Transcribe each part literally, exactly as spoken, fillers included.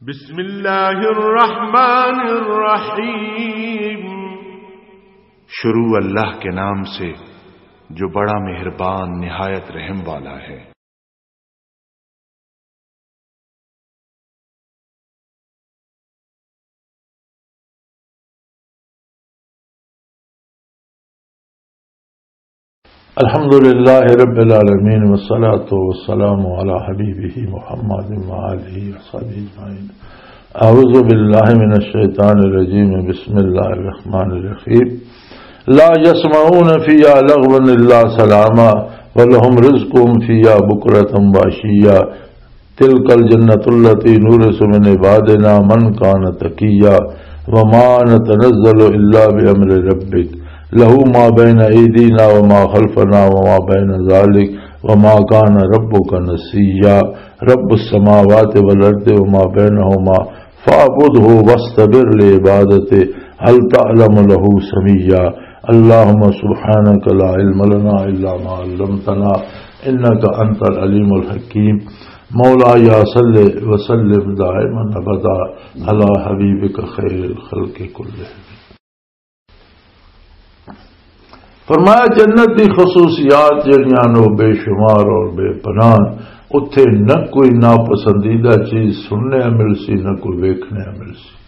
بسم اللہ الرحمن الرحیم۔ شروع اللہ کے نام سے، جو بڑا مہربان، نہایت رحم والا ہے۔ الحمد لله رب العالمين، والصلاة والسلام على حبيبه محمد وآله وصحبه أجمعين. أعوذ بالله من الشيطان الرجيم. بسم الله الرحمن الرحيم. لا يسمعون فيها لغوا إلا سلاما ولهم رزقهم فيها بكرة وعشيا. تلك الجنة التي نورث من عبادنا من كان تقيا. وما نتنزل إلا بأمر ربك. له ما بين أيدينا وما خلفنا وما بين ذلك. وما كان ربك نسيا. رب السماوات والأرض وما بينهما فاعبده واصطبر لعبادته هل تعلم له سميا. اللهم سبحانك لا علم لنا إلا ما علمتنا إنك أنت العليم الحكيم. مولاي صل وسلم دائما أبدا على حبيبك خير الخلق كلهم. فرمایا، جنت دی خصوصیات جڑیاں نو بے شمار اور بے پناہ، اتھے نہ کوئی ناپسندیدہ چیز سننے مل سی، نہ کوئی ویکھنے مل سی۔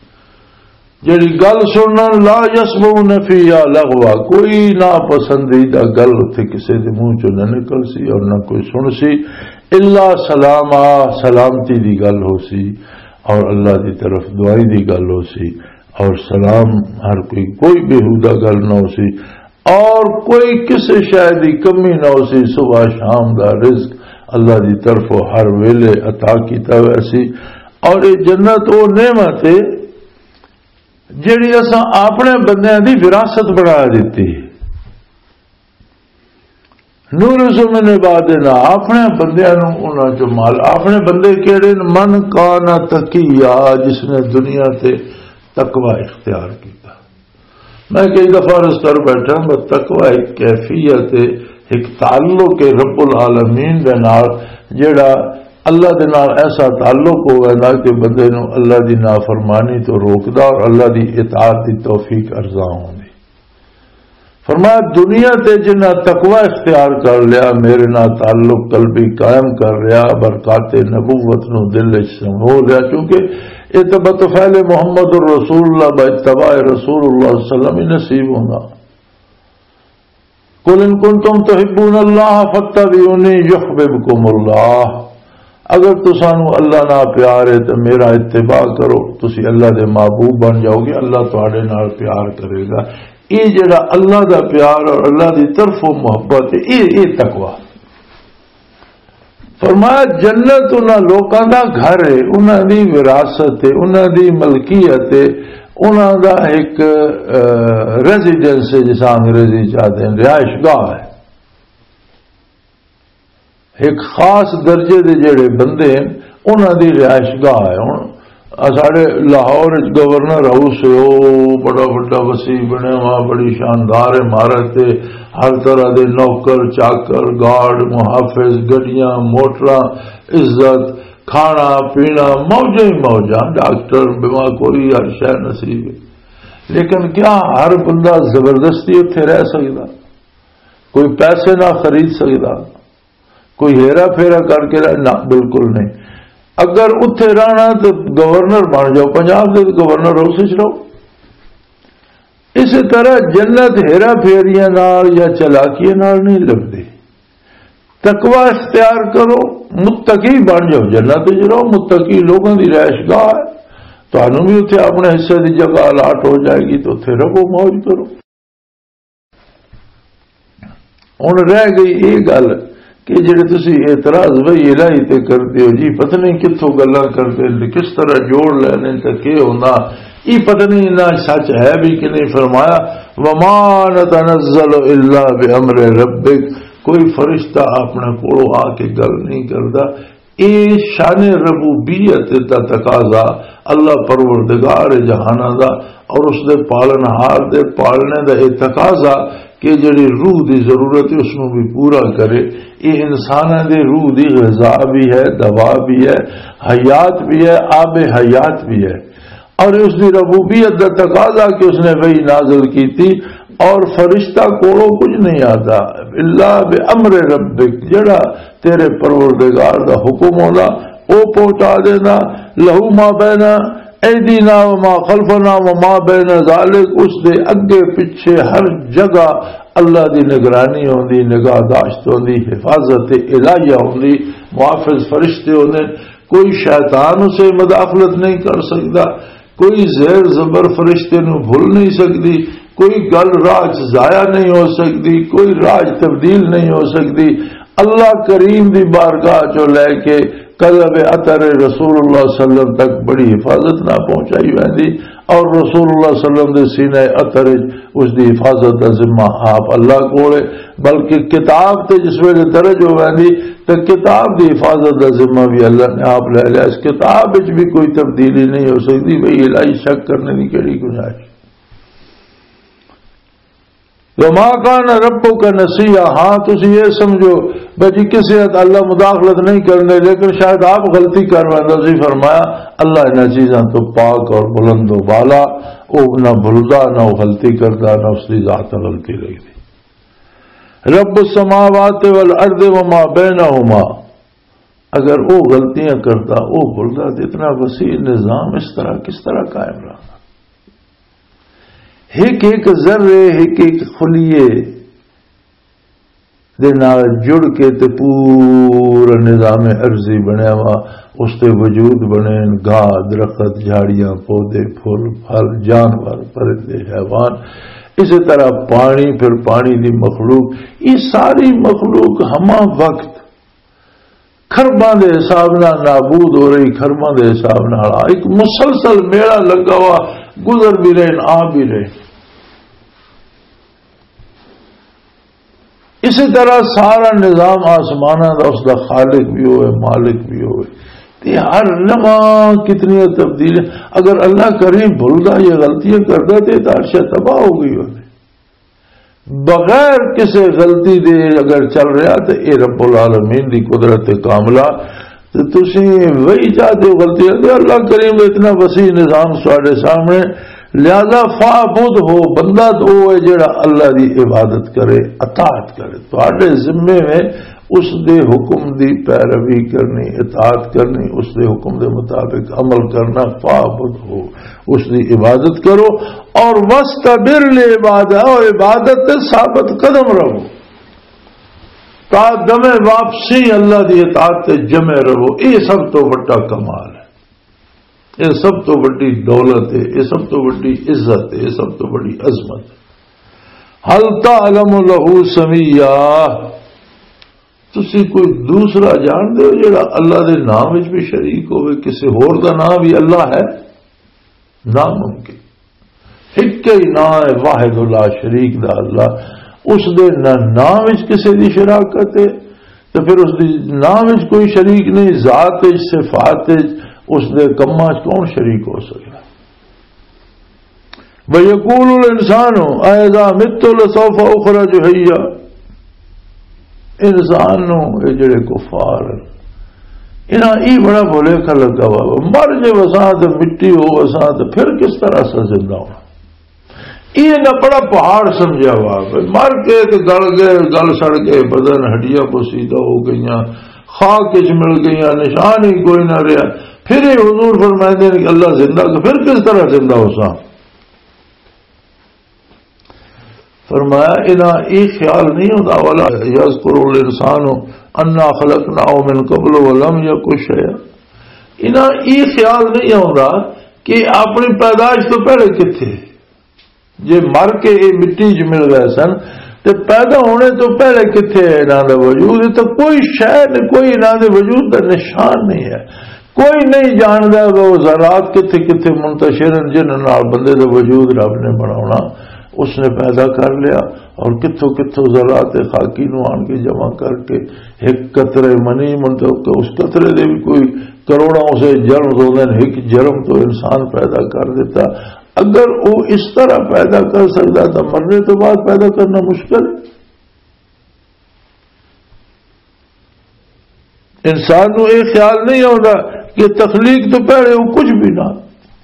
جڑی گل سنن، لا يسمعون فيها لغوا، کوئی ناپسندیدہ گل اتھے کسے دے منہ چوں نہ نکل سی اور نہ کوئی سن سی، الا سلاما، سلامتی دی گل ہو سی اور اللہ دی طرف دعائیں دی گل ہو سی۔ اور سلام، ہر کوئی، کوئی بیہودہ گل نہ ہو سی اور کوئی کسے شے دی کمی نہ ہو سی۔ صبح شام دا رزق اللہ دی طرفوں ہر ویلے عطا کیتا ہوا سی۔ اور یہ جنت وہ نعمت ہے جڑی اساں اپنے بندیاں دی وراثت بنا دتی۔ نورث من عبادنا، اپنے بندیاں نوں انہاں چوں مال، اپنے بندے کیڑے نے؟ من کان تقیا، جس نے دنیا تے تقوی اختیار کیتا۔ میں کئی دفعہ عرض کر بیٹھا، بس تقوی ایک کیفیت ہے، ایک تعلق ہے رب العالمین دے نال، جڑا اللہ دے نال ایسا تعلق ہوئے نا کہ بندے نوں اللہ دی نافرمانی تو روکدا اور اللہ دی اطاعت دی توفیق ارزاں ہوندی۔ فرمایا، دنیا تے جنہاں تقوی اختیار کر لیا، میرے نال تعلق قلبی قائم کر لیا، برکات نبوت نو دل وچ سمو لیا، کیونکہ یہ تو بطفیل محمد الرسول اللہ، با اتباع رسول اللہ صلی اللہ علیہ وسلم ہی نصیب ہونا۔ قل ان کنتم تحبون اللہ فاتبعونی یحببکم اللہ۔ اگر تسانوں اللہ نال پیار ہے تو میرا اتباع کرو، تسی اللہ دے محبوب بن جاؤ گے، اللہ تہاڈے نال پیار کرے گا۔ یہ جڑا اللہ دا پیار اور اللہ دی طرفوں محبت ہے، یہ، یہ تقوی۔ فرمایا، جنت انہاں لوکاں دا گھر ہے، انہاں دی وراثت ہے، انہاں دی ملکیت ہے، انہاں دا ایک، آ، ریزیڈنس ہے، جس انگریزی چاہتے ہیں، رہائش گاہ ہے۔ ایک خاص درجے دے جڑے بندے ہیں، انہاں دی رہائش گاہ ہے۔ ہن ساڈے لاہور وچ گورنر ہاؤس ہے، او بڑا وڈا وسیع بنیا ہوا، بڑی شاندار عمارت ہے، ہر طرح دے نوکر، چاکر، گارڈ، محافظ، گڈیاں، موٹراں، عزت، کھانا پینا، موجاں ہی موجاں، ڈاکٹر، بیمار، کوئی ہر شے نصیب ہے۔ لیکن کیا ہر بندہ زبردستی اتھے رہ سکدا؟ کوئی پیسے نہ خرید سکدا؟ کوئی ہیرا پھیرا کر کے رہ؟ نہ، بالکل نہیں۔ اگر اتھے رہنا تو گورنر بن جاؤ، پنجاب دے گورنر ہاؤس وچ رہو۔ اسی طرح جنت ہیرا پھیریاں نال یا چلاکیاں نال نہیں لبدی۔ تقوی اختیار کرو، متقی بن جاؤ، جنت وچ رہو، متقی لوگوں دی رہائش گاہ ہے۔ تانوں بھی اتھے اپنے حصے دی جگہ الاٹ ہو جائے گی، تو اتھے رہو، موج کرو۔ ہن رہ گئی یہ گل کہ جڑے تسی اعتراض وحی الہی تے کردے ہو جی، پتہ نہیں کتھوں گلاں کردے نے، کس طرح جوڑ لینے تے کی ہوندا، یہ پتہ نہیں انہاں سچ ہے بھی کہ نہیں۔ فرمایا، وما نتنزل الا بامر ربک، کوئی فرشتہ اپنے کولوں آ کے گل نہیں کردا۔ اے شان ربوبیت دا تقاضا، اللہ پروردگار جہاناں دا اور اس دے پالنہار دے پالنے دا اے تقاضا یہ جڑی روح دی ضرورت ہے، اس نوں بھی پورا کرے۔ یہ انساناں دے روح دی غذا بھی ہے، دوا بھی ہے، حیات بھی ہے، آب حیات بھی ہے۔ اور اس دی ربوبیت دا تقاضا کہ اس نے وحی نازل کیتی، اور فرشتہ کولوں کچھ نہیں آتا، الا بامر ربک، جڑا تیرے پروردگار دا حکم ہونا، او پہنچا دینا۔ لہو ما بین ایدینا و ما خلفنا و ما بین ذالک، اس دے اگے پچھے ہر جگہ اللہ دی نگرانی ہوندی، نگاہ داشت ہوندی، حفاظت الہیہ ہوندی، محافظ فرشتے ہوندے۔ کوئی شیطان اسے مداخلت نہیں کر سکدا، کوئی زیر زبر فرشتے نو بھول نہیں سکدی، کوئی گل راہ چ ضائع نہیں ہو سکدی، کوئی راہ چ تبدیل نہیں ہو سکدی۔ اللہ کریم دی بارگاہ چوں لے کے قلب اطہر رسول اللہ صلی اللہ علیہ وسلم تک بڑی حفاظت نہ پہنچائی ویندی، اور رسول اللہ صلی اللہ علیہ وسلم دے سینہ اطہر وچ اس دی حفاظت دا ذمہ آپ اللہ کول ہے۔ بلکہ کتاب تے جس ویلے درج ہو ویندی تے کتاب دی حفاظت دا ذمہ بھی اللہ نے آپ لے لیا۔ اس کتاب وچ بھی کوئی تبدیلی نہیں ہو سکدی، بھئی الہی شک کرنے دی کیڑی گنجائش؟ وما کان ربک نسیا، ہاں تسی یہ سمجھو بھئی جی کسے حد اللہ مداخلت نہیں کرنے، لیکن شاید آپ غلطی کر ویندا سی۔ فرمایا اللہ انہاں چیزاں تو پاک اور بلند و بالا، او نہ بھلدا، نہ او غلطی کردا، نہ اس دی ذات نال غلطی لگدی۔ رب السماوات والارض وما بینہما، اگر وہ غلطیاں کرتا، وہ بھولتا، تو اتنا وسیع نظام اس طرح کس طرح قائم رہا؟ ایک ایک ذرے، ایک ایک خلیے دے نال جڑ کے تے پورا نظام ارضی بنیا وا، اس تے وجود بنے، گاہ، درخت، جھاڑیاں، پودے، پھل، پھل، جانور، پرندے، حیوان، اسی طرح پانی، پھر پانی دی مخلوق، یہ ساری مخلوق ہمہ وقت کھرباں دے حساب نال نابود ہو رہی، کھرباں دے حساب نال ایک مسلسل میلہ لگا ہوا، گزر بھی رہے، آ بھی رہے۔ اسی طرح سارا نظام آسماناں دا، اس دا خالق بھی ہوئے، مالک بھی ہوئے، تے ہر لمحہ کتنی تبدیل ہے۔ اگر اللہ کریم بھلدا یا غلطیاں کردا تے یہ عرش تباہ ہو گئی ہوتی۔ بغیر کسی غلطی دے اگر چل رہا تے اے رب العالمین دی قدرت کاملہ، تے تسی وہی چاہتے ہو غلطی ہے۔ اللہ کریم اتنا وسیع نظام ساڈے سامنے، لہذا فاعبد ہو، بندہ تو وہ ہے جڑا اللہ دی عبادت کرے، اطاعت کرے۔ تہاڈے ذمے میں اس دے حکم دی پیروی کرنی، اطاعت کرنی، اس دے حکم دے مطابق عمل کرنا، فاعبد ہو، اس دی عبادت کرو، اور وَاسْتَبِرْ لِعِبَادَتِهِ، اور عبادت تے ثابت قدم رہو، تا دم واپسی اللہ دی اطاعت تے جمع رہو۔ یہ سب تو بڑا کمال ہے، یہ سب تو بڑی دولت ہے، یہ سب تو بڑی عزت ہے، یہ سب تو بڑی عظمت ہے۔ هَلْ تَعْلَمُ لَهُ سَمِيًّا، تسی کوئی دوسرا جان دے ہو جڑا اللہ دے نام وچ بھی شریک ہوئے، کسی ہور دا نام بھی اللہ ہے؟ ناممکن۔ ایک ہی نام ہے واحد لا شریک دا اللہ، اس دے نہ نام وچ کسی دی شراکت ہے، تو پھر اس دی نام وچ کوئی شریک نہیں، ذات وچ، صفات وچ، اس دے کماں وچ کون شریک ہو سکدا؟ وَيَقُولُ الْإِنسَانُ أَإِذَا مِتُّ لَسَوْفَ أُخْرَجُ حَيًّا۔ انسان نو، اے جڑے کفار ہیں، انہاں ای بڑا بھولیکھا لگا ہوا، مر جے وساں تے مٹی ہو وساں تے پھر کس طرح اساں زندہ ہونا؟ یہ نہ بڑا پہاڑ سمجھا ہوا، مر کے تے گل گئے، گل سڑ گئے، بدن ہڈیاں بوسیدہ ہو گئیاں، خاک وچ مل گئیاں، نشان ہی کوئی نہ رہیا۔ پھر یہ حضور فرمائندے نے کہ اللہ زندہ، تو پھر کس طرح زندہ ہو سا؟ فرمایا، انہاں یہ خیال نہیں ہوتا، ولا یذکر الانسان انا خلقناہ من قبل ولم یک شیئا۔ انہاں یہ خیال نہیں ہوتا کہ اپنی پیدائش تو پہلے کتھے، جے مر کے یہ مٹی چ مل گئے سن، تے پیدا ہونے تو پہلے کتھے ہے انہاں دا وجود؟ یہ تو کوئی شے نہیں، کوئی انہاں دے وجود دا نشان نہیں ہے۔ کوئی نہیں جاندا کہ وہ ذرات کتھے کتھے منتشر ہیں، جنہاں نال بندے دا وجود رب نے بناونا، اس نے پیدا کر لیا، اور کتھوں کتھوں ذرات خاکی نو آن کے جمع کر کے ایک قطرے منی من تو، اس قطرے دے بھی کوئی کروڑاں اسے جرم ہوندے نے، ایک جرم تو انسان پیدا کر دیتا۔ اگر وہ اس طرح پیدا کر سکتا تو مرنے تو بعد پیدا کرنا مشکل ہے۔ انسان نو یہ خیال نہیں آتا کہ تخلیق تو پہلے وہ کچھ بھی نہ،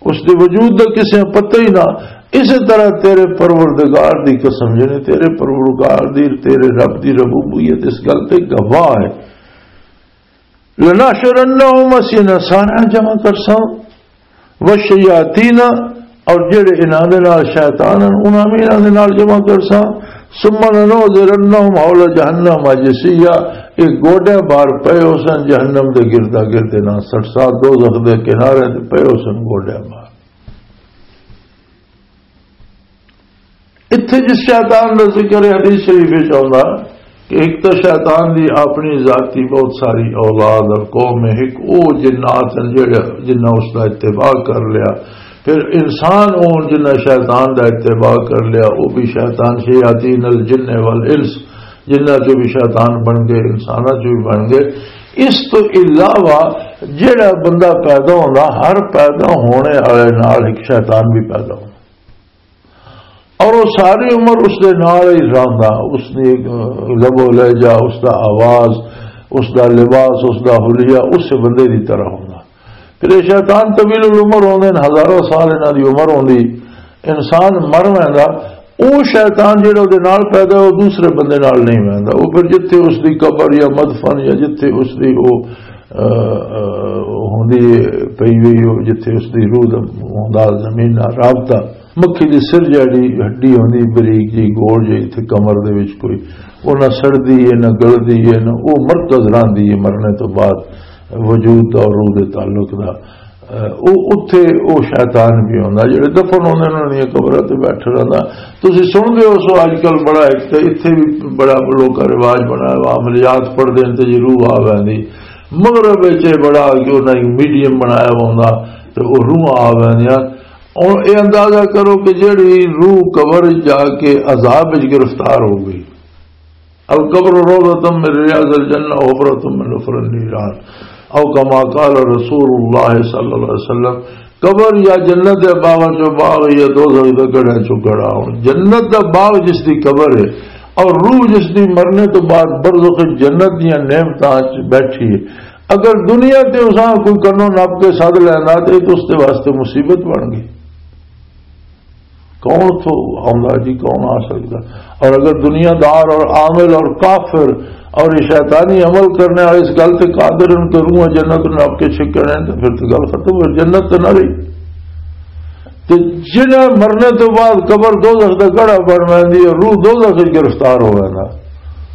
اس دے وجود دا کسے پتہ ہی نہ۔ اسی طرح تیرے پروردگار دی قسم، یعنی تیرے پروردگار دی، تیرے رب دی ربوبیت اس گل تے گواہ ہے۔ لنحشرنہم، اسی انہاں سارا جمع کرساں، والشیاطین، اور جڑے انہاں دے نال شیطان ہن، انہاں وی انہاں دے نال جمع کرساں۔ ثم لنحضرنہم حول جہنم جثیا، ایک گوڈے بار پئے ہوسن جہنم دے گردا گرد، انہاں سٹ ساتھ دوزخ دے کنارے تے پئے ہوسن گوڈے بار۔ اتھے جس شیطان دا ذکر ہے حدیث شریف وچ آوندا کہ ایک تو شیطان دی اپنی ذاتی بہت ساری اولاد اور قوم ہے، ایک او جنات ہیں جڑے، جنہاں اس دا اتباع کر لیا۔ پھر انسان ہون جنہاں شیطان دا اتباع کر لیا، وہ بھی شیطان، شیاطین الجن والانس، جنہاں چوں بھی شیطان بن گئے، انساناں چوں بھی بن گئے۔ اس تو علاوہ جڑا بندہ پیدا ہوندا، ہر پیدا ہونے والے نال ایک شیطان بھی پیدا ہوندا۔ اور وہ ساری عمر اس دے نال ہی رہندا، اس دی لب و لہجہ، اس دا آواز، اس دا لباس، اس دا حلیہ اس بندے دی طرح ہوندا۔ پھر یہ شیطان طویل العمر ہوندے نے، ہزاروں سال انہاں دی عمر ہوندی۔ انسان مر ویندا، او شیطان جڑا دے نال پیدا ہے، او دوسرے بندے نال نہیں ویندا۔ او پھر جتھے اس دی قبر یا مدفن یا جتھے اس دی او، آ، آ، ہوندی پئی ہوئی، او جتھے اس دی روح دا ہوندا زمین نال رابطہ، مکھی دی سر جیڑی ہڈی ہوندی بریک جی گول جی اتھے کمر دے وچ کوئی، او نہ سڑدی ہے، نہ گلدی ہے، نہ، او مرکز راندی ہے مرنے تو بعد وجود دا اور روح دے تعلق دا۔ اہ، او اتھے او شیطان بھی ہوندا جڑے دفن ہوندے انہاں دیاں قبراں تے بیٹھے رہندا۔ تسی سن دے ہو سو اج کل بڑا ایک تے اتھے بھی بڑا لوکاں رواج بنایا وا، عملیات پڑھ دین تے جی روح آ ویندی۔ مغرب وچ اے بڑا کہ انہاں ایک میڈیم بنایا وا ہوندا تے او روح آ ویندیاں۔ ہن اے اندازہ کرو کہ جیڑی روح قبر وچ جا کے عذاب وچ گرفتار ہو گئی، القبر روضۃ من ریاض الجنہ و حفرۃ من حفر النیران، او کما قال رسول اللہ صلی اللہ علیہ وسلم، قبر یا جنت دے باغاں چوں باغ یا دوزخ دے گڑھاں چوں گڑھا۔ ہن جنت دا باغ جس دی قبر ہے اور روح جس دی مرنے تو بعد برزخ جنت دیاں نعمتاں وچ بیٹھی ہے، اگر دنیا تے اساں کوئی کنوں نپ کے سد لینا تے تو اس دے واسطے مصیبت بن گئی۔ کون تھو آوندا جی، کون آ سکدا؟ اور اگر دنیا دار اور عامل اور کافر اور یہ شیطانی عمل کرنے والے اس گل تے قادر ان کے روح جنت نپ کے چھکنے ہیں، تو پھر تو گل ختم ہو، جنت تو نہ رہی۔ تے جنہیں مرنے تو بعد قبر دوزخ دا گڑھا بن ویندی ہے، روح دوزخ وچ گرفتار ہو ویندا،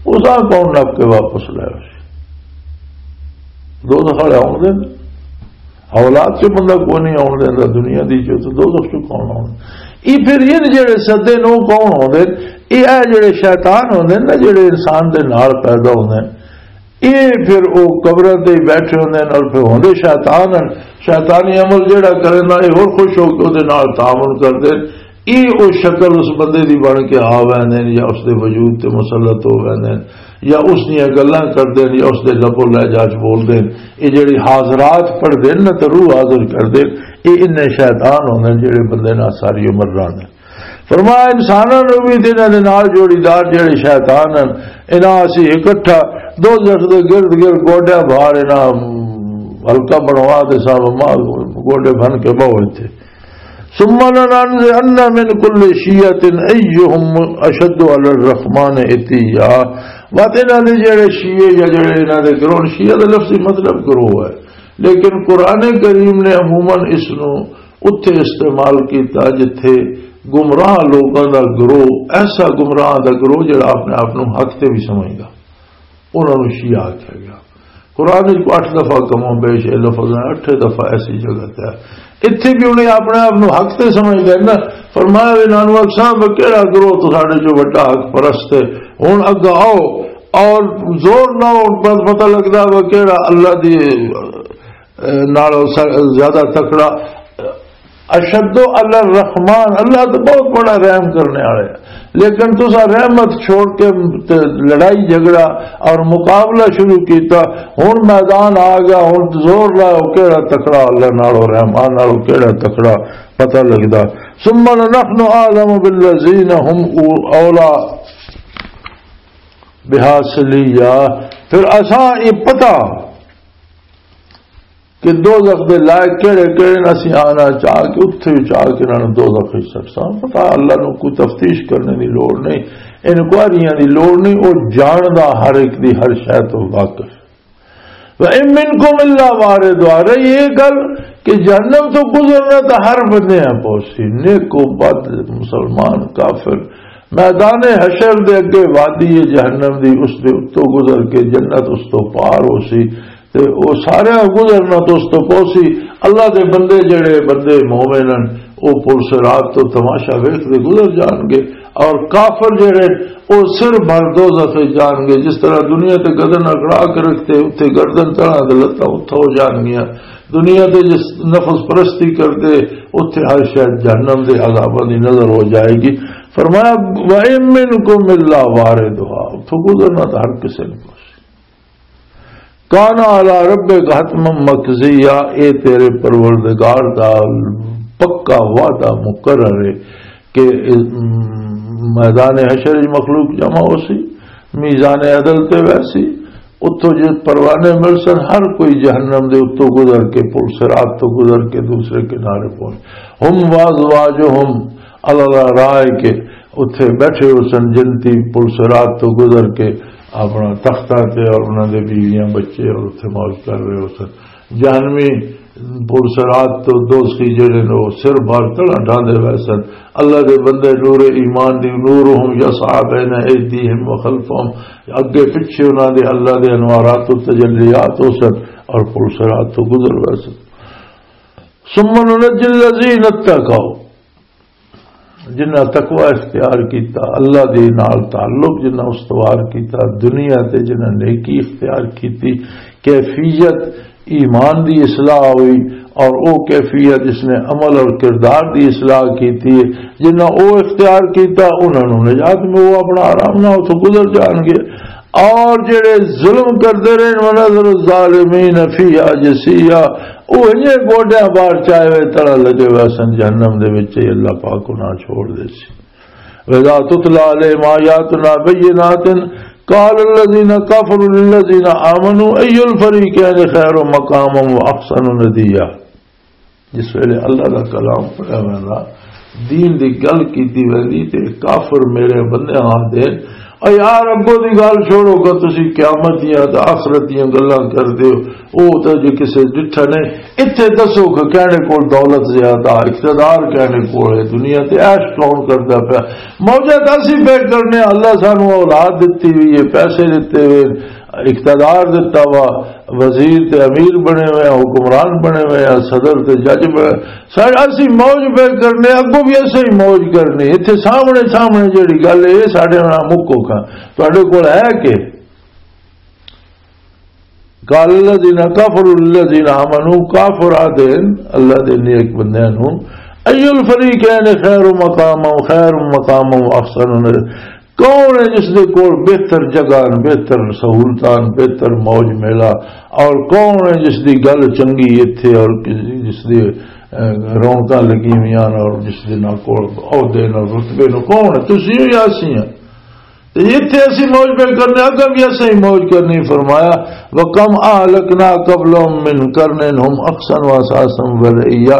اس آ کون نپ کے واپس لے آوے؟ دوزخ والے آؤندے نے۔ اولاد چوں بندہ کوئی نہیں آن دیندا، دنیا دی چوں تے دوزخ چوں کون آن؟ یہ پھر یہ جڑے سدے نو کون ہوندے؟ یہ اے جڑے شیطان ہوندے نا، جڑے انسان دے نال پیدا ہوندے، یہ پھر او قبراں تے ہی بیٹھے ہوندے نے اور پھر ہوندے شیطان ہن۔ شیطانی عمل جڑا کرے نا، یہ ہور خوش ہو کے اودے نال تعاون کردے۔ یہ او شکل اس بندے دی بن کے آ ویندے نے یا اس دے وجود تے مسلط ہو ویندے نے۔ یا اس دیاں گلاں کردے نے، یا اس دے لب و لہجہ چ بولدے نے۔ یہ جڑی حاضرات پڑھدے نے نا، تے روح حاضر کردے، یہ انہیں شیطان ہوندے نے جڑے بندے نال ساری عمر رہندے۔ فرمایا، انساناں نوں وی تے انہاں دے نال جوڑی دار جڑے شیطان ہن، انہاں اسی اکٹھا دوزخ دے گرد گرد گوڈیاں بھار انہاں حلقہ بنوا تے سب ماں گوڈے بن کے بہو اتھے۔ ثم لننزعن من كل شيعة أيهم أشد على الرحمن عتيا۔ وقت انہاں دے جڑے شیعے یا جڑے انہاں دے گروہ، شیعہ دا لفظی مطلب گروہ ہے، لیکن قرآن کریم نے عموماً اس نو اتھے استعمال کیتا جتھے گمراہ لوکاں دا گروہ، ایسا گمراہ دا گروہ جڑا اپنے آپ نو حق تے بھی سمجھدا، انہاں نو شیعہ آکھیا گیا۔ قرآن وچ اٹھ دفعہ کم و بیش یہ لفظ ہے، اٹھے دفعہ ایسی جگہ تے ہے۔ اتھے بھی انہیں اپنے آپ نو حق تے سمجھ گئے نا۔ فرمایا، "وے نانو اکساں، وہ کیڑا گروہ تو ساڈے چوں وڈا حق پرست ہے؟ ہن اگا آؤ اور زور لاؤ، ہن پت-، پتہ لگدا وہ کیڑا اللہ دی، اے، نال س-، زیادہ تکڑا۔" اشد علی الرحمن، اللہ تو بہت بڑا رحم کرنے والے ہیں، لیکن تسا رحمت چھوڑ کے تے لڑائی جھگڑا اور مقابلہ شروع کیتا۔ ہن میدان آ گیا، ہن زور لاؤ، کیڑا تکڑا اللہ نالو، رحمان نالو کیڑا تکڑا؟ پتہ لگدا۔ ثم لنحن اعلم بالذین هم اولا بها صلیا، پھر اساں یہ پتہ کہ دوزخ دے لائق کہڑے کہڑے نے، اسی آنا چاہ کے اتھے ہی چاہ کے انہاں نوں دوزخ وچ سٹساں۔ پتہ اللہ نوں کوئی تفتیش کرنے دی لوڑ نہیں، انکوائریاں دی لوڑ نہیں، وہ جاندا ہر ایک دی ہر شے تو واقف۔ وَإِن مِّنكُمْ إِلَّا وَارِدُهَا، رہی یہ گل کہ جہنم تو گزرنا تو ہر بندے ہیں پہنچی، نیک و بد، مسلمان، کافر، میدان حشر دے اگے وادی جہنم دی، اس دے اتوں گزر کے جنت اس تو پار ہو سی، تے او سارے گزرنا تو اس تو پہنچی۔ اللہ دے بندے جڑے بندے مومن ہیں، او پل صراط تو تماشا ویکھدے گزر جان گے، اور کافر جڑے او سر بھر دوزخ وچ جان گے۔ جس طرح دنیا تے گردن اکڑا کے رکھتے، اتھے گردن تڑا تے لتاں اتھا ہو جان گیاں۔ دنیا تے جس نفس پرستی کرتے، اتھے ہر شاید جہنم دے عذاباں دی نظر ہو جائے گی۔ فرمایا، وَإِن مِّنكُمْ إِلَّا وَارِدُهَا، اتھوں گزرنا تو ہر کسے نے۔ کان علی ربک حتما مقضیا، اے تیرے پروردگار دا پکا وعدہ مقرر ہے کہ میدان حشر وچ مخلوق جمع ہو سی، میزان عدل تے ویسی، اتھوں جو پروانے مل سن، ہر کوئی جہنم دے اتوں گزر کے، پل صراط تو گزر کے دوسرے کنارے پہنچ۔ ہم وازواجہم، اللہ رائے کے اتھے بیٹھے ہو سن جنتی، پل صراط تو گزر کے اپنا تختاں تے اور انہاں دے بیویاں بچے اور اتھے موج کر رہے ہو سن۔ جہنمی پل صراط تو دوزخی جڑے نے، وہ سر بھر تڑا ڈھاندے ہوئے سن۔ اللہ دے بندے نور ایمان دی، نورہم یسعی بین ایدیہم و خلفہم، اگے پچھے انہاں دے اللہ دے انوارات و تجلیات ہو سن اور پل صراط تو گزر ہوئے سن۔ ثم ننجی الذین اتقوا، جنہاں تقوی اختیار کیتا، اللہ دے نال تعلق جنہاں استوار کیتا، دنیا تے جنہاں نیکی اختیار کیتی، کیفیت ایمان دی اصلاح ہوئی، اور او کیفیت جس نے عمل اور کردار دی اصلاح کیتی ہے، جنہاں او اختیار کیتا، انہاں نوں نجات میں، وہ اپنا آرام نہ اتھوں گزر جان گے۔ اور جڑے ظلم کردے رہے، وَنَذَرُ الظَّالِمِينَ فِيهَا جِثِيًّا، وہ انہیں گوڈیاں بار چائے ہوئے طرح لگے ہوئے سن جہنم دے وچ، یہ اللہ پاک انہاں چھوڑ دے سی۔ وَإِذَا تُتْلَىٰ عَلَيْهِمْ آيَاتُنَا بَيِّنَاتٍ قَالَ الَّذِينَ كَفَرُوا لِلَّذِينَ آمَنُوا أَيُّ الْفَرِيقَيْنِ خَيْرٌ مَّقَامًا وَأَحْسَنُ نَدِيًّا۔ جس ویلے اللہ دا کلام پڑھیا ویندا، دین دی گل کیتی ویندی، تے کافر میرے بندے آندے، "اے یار، اگوں دی گل چھوڑو کہ تسی قیامت دیاں تے آخرت دیاں گلاں کردے ہو، او تے جے کسے ڈٹھا نہیں۔" اتھے دسو کہ کہڑے کول دولت زیادہ، اقتدار کہڑے کول ہے، دنیا تے عیش کون کردا پیا؟ موجہ تے اسی پہ کرنے، اللہ سانو اولاد دتی ہوئی ہے، پیسے دتے ہوئے، اقتدار دتا وا، وزیر تے امیر بنے ہوئے ہیں، حکمران بنے ہوئے ہیں، صدر تے جج بنے، سارے اسی موج پہ کرنے، اگوں بھی ایسے ہی موج کرنی۔ اتھے سامنے سامنے جڑی گل ہے، یہ سارے نال مکو کھا، تہاڈے کول ہے کہ؟ قال الذين كفروا للذين آمنوا، کافر آدھے اللہ دے نیک بندیاں نوں، "أي الفريقين خير مقاما، خير مقاما وأحسن نديا۔" کون ہے جس دے کول بہتر جگہ، بہتر سہولتاں، بہتر موج میلہ، اور کون ہے جس دی گل چنگی ایتھے، اور کس-، جس دی، اے، رونقاں لگی ہوئی ہیں، اور جس دے نال کول عہدے نال رتبے نال، کون ہے؟ تسی ہو یا اسی ہیں؟ تے ایتھے اسی موج پہ کرنے، اگاں بھی اسی موج کرنی۔ فرمایا، "وَكَمْ أَهْلَكْنَا قَبْلَهُمْ مِنْ قَرْنٍ هُمْ أَحْسَنُ أَثْأَثًا وَرِئِيًّا۔"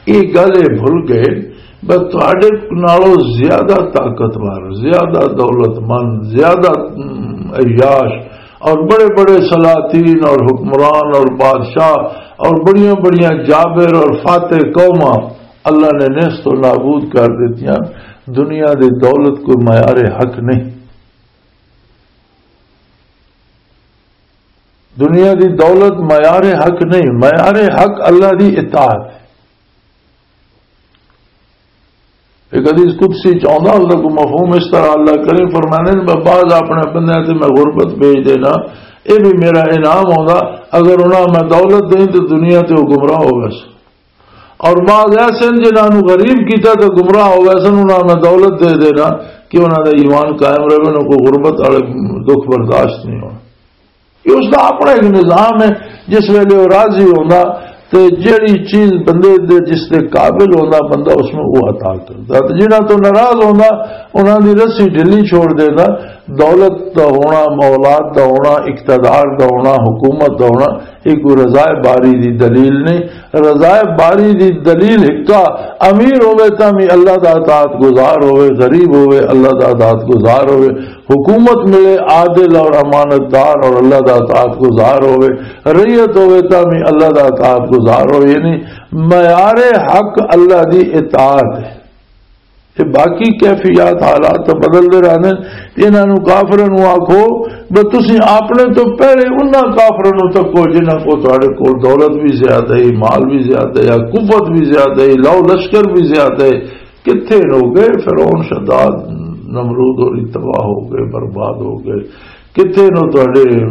یہ گل یہ بھول گئے، بس تہاڈے نالوں زیادہ طاقتور، زیادہ دولت مند، زیادہ، ام، عیاش اور بڑے بڑے سلاطین اور حکمران اور بادشاہ اور بڑیاں بڑیاں جابر اور فاتح قوماں اللہ نے نیست و نابود کر دیتیاں۔ دنیا دی دولت کوئی معیار حق نہیں۔ دنیا دی دولت معیار حق نہیں، معیار حق اللہ دی اطاعت ہے۔ ایک حدیث قدسی چ آندا، اس دا کوئی مفہوم اس طرح اللہ کریم فرمانے نے، "میں بعض اپنے بندیاں تے میں غربت بھیج دینا، اے بھی میرا انعام ہوندا، اگر انہاں میں دولت دیں تے دنیا تے وہ گمراہ ہو گئے سن۔ اور بعض ایسے ہیں جنہاں نوں غریب کیتا تے گمراہ ہو گئے سن، انہاں میں دولت دے دینا کہ انہاں دا ایمان قائم رہے، انہاں کو غربت والے دکھ برداشت نہیں ہونا۔" یہ اس دا اپنا ایک نظام ہے۔ جس ویلے وہ راضی ہوندا، تے جیڑی چیز بندے دے، جس دے قابل ہوندا بندہ، اس نوں وہ عطا کردا۔ تے جنہاں تو ناراض ہوندا، انہاں دی رسی ڈھلی چھوڑ دیندا۔ دولت دا ہونا، اولاد دا ہونا، اقتدار دا ہونا، حکومت دا ہونا، یہ کوئی رضا باری دی دلیل نہیں۔ رضا باری دی دلیل ہکا، امیر ہوے تاں وی اللہ دا اطاعت گزار ہوے، غریب ہوے اللہ دا اطاعت گزار ہوے، حکومت ملے عادل اور امانت دار اور اللہ دا اطاعت گزار ہوے، رعیت ہوے تاں وی اللہ دا اطاعت گزار ہوے۔ یعنی معیار حق اللہ دی اطاعت ہے۔ تے باقی کیفیات، حالات تاں بدلدے رہندے نے۔ تے انہاں نوں، کافراں نوں آکھو بس تسی اپنے تو پہلے انہاں کافراں نوں تکو جنہاں کو تہاڈے کول دولت بھی زیادہ ہے، مال بھی زیادہ ہے، قوت بھی زیادہ ہے، لو لشکر بھی زیادہ ہے۔ کتھے نو گئے؟ فرعون، شداد، نمرود اور تباہ ہو گئے، برباد ہو گئے۔ کتھے نو تہاڈے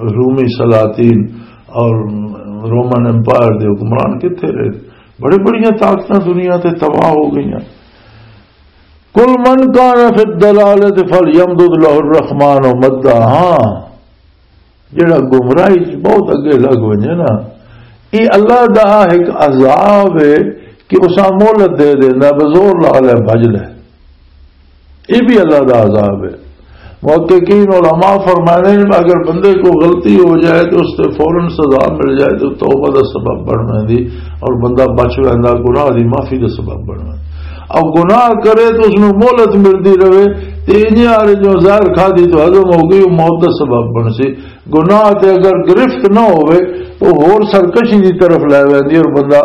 رومی سلاطین اور رومن امپائر دے حکمران؟ کتھے رہے؟ بڑے بڑیاں طاقتاں دنیا تے تباہ ہو گئیاں۔ قل من کان فی الضلالۃ فلیمدد لہ الرحمن مدا۔ ہاں، جڑا گمراہی چ بہت اگے لگ ونجے نا، یہ اللہ دا ایک عذاب ہے کہ اساں مہلت دے دیندا، بزور لا لے، بھج لے۔ یہ بھی اللہ دا عذاب ہے۔ محققین علماء فرمانے ہیں، اگر بندے کو غلطی ہو جائے تو اس سے فوراً سزا مل جائے تو توبہ دا سبب بن ویندی اور بندہ بچ ویندا، گناہ دی معافی دا سبب بن ویندا۔ اب گناہ کرے تو اس نوں مہلت ملدی رہے، تے انج آ رہے جو زہر کھا دی تو ہضم ہو گئی، وہ موت دا سبب بن سی۔ گناہ تے اگر گرفت نہ ہوئے تو ہور سرکشی دی طرف لے ویندی اور بندہ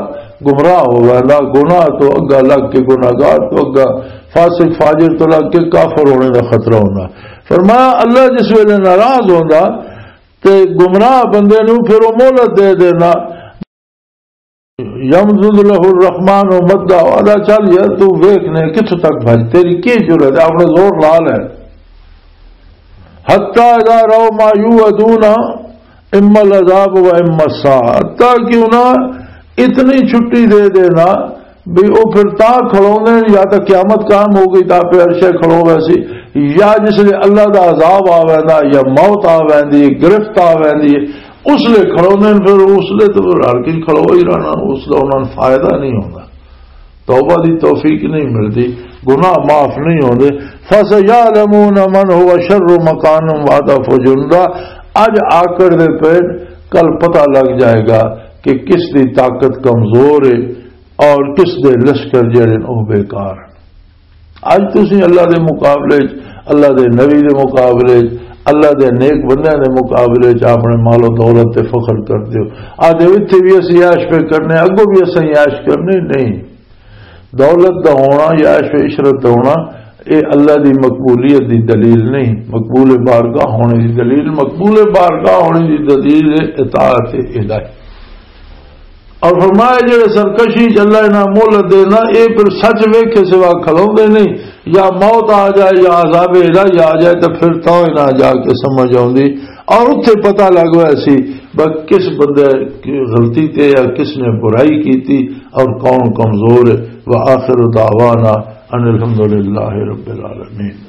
گمراہ ہو ویندا۔ گناہ تو اگا لگ کے، گناہگار تو اگا، فاسق فاجر تو لگ کے کافر ہونے دا خطرہ ہوندا۔ فرمایا، اللہ جس ویلے ناراض ہوندا تے گمراہ بندے نوں پھر وہ مہلت دے دینا۔ یمدد لہ الرحمن مدا، آدا، چل یار، تو ویکھ نے کتھوں تک بھج، تیری کی جرأت ہے، اپنا زور لا لے۔ حتی اذا رأوا ما یوعدون اما العذاب و اما الساعہ، حتی کہ انہاں اتنی چھٹی دے دینا بھی وہ پھر تاں کھڑوندے نے، یا تاں قیامت قائم ہو گئی تاں پھر عرشے کھڑو ویسی، یا جس لے اللہ دا عذاب آ ویندا، یا موت آ ویندی، گرفت آ ویندی، اس لے کھڑوندے نے۔ پھر اس لے تو ہر کوئی کھڑو ہی رہنا، اس دا انہاں نوں فائدہ نہیں ہوندا، توبہ دی توفیق نہیں ملدی، گناہ معاف نہیں ہوندے۔ فَسَيَعْلَمُونَ مَنْ هُوَ شَرٌّ مَكَانًا وَأَضْعَفُ جُنْدًا۔ اج آکڑ دے پے، کل پتہ لگ جائے گا کہ کس دی طاقت کمزور ہے اور کس دے لشکر جڑے نے او بیکار ہیں۔ اج تسی اللہ دے مقابلے وچ، اللہ دے نبی دے مقابلے وچ، اللہ دے نیک بندیاں دے مقابلے وچ اپنے مال و دولت تے فخر کردے ہو، آدھے، "اتھے بھی اسی عیش پہ کرنے، اگوں بھی اسی عیش کرنے۔" نہیں، دولت دا ہونا یا عیش و عشرت دا ہونا، اے اللہ دی مقبولیت دی دلیل نہیں۔ مقبول بارگاہ ہونے دی دلیل، مقبول بارگاہ ہونے دی دلیل ہے اطاعت الہی۔ اور فرمایا، جڑے سرکشی چ اللہ انہاں مہلت دینا، اے پھر سچ ویکھے سوا کھلوندے نہیں، یا موت آ جائے یا عذاب الہی آ جائے، تو پھر تو انہاں جا کے سمجھ آوندی۔ اور اتھے پتہ لگ ہویا سی بس کس بندے کی غلطی تے یا کس نے برائی کیتی اور کون کمزور ہے۔ وآخر دعوانا ان الحمدللہ رب العالمین۔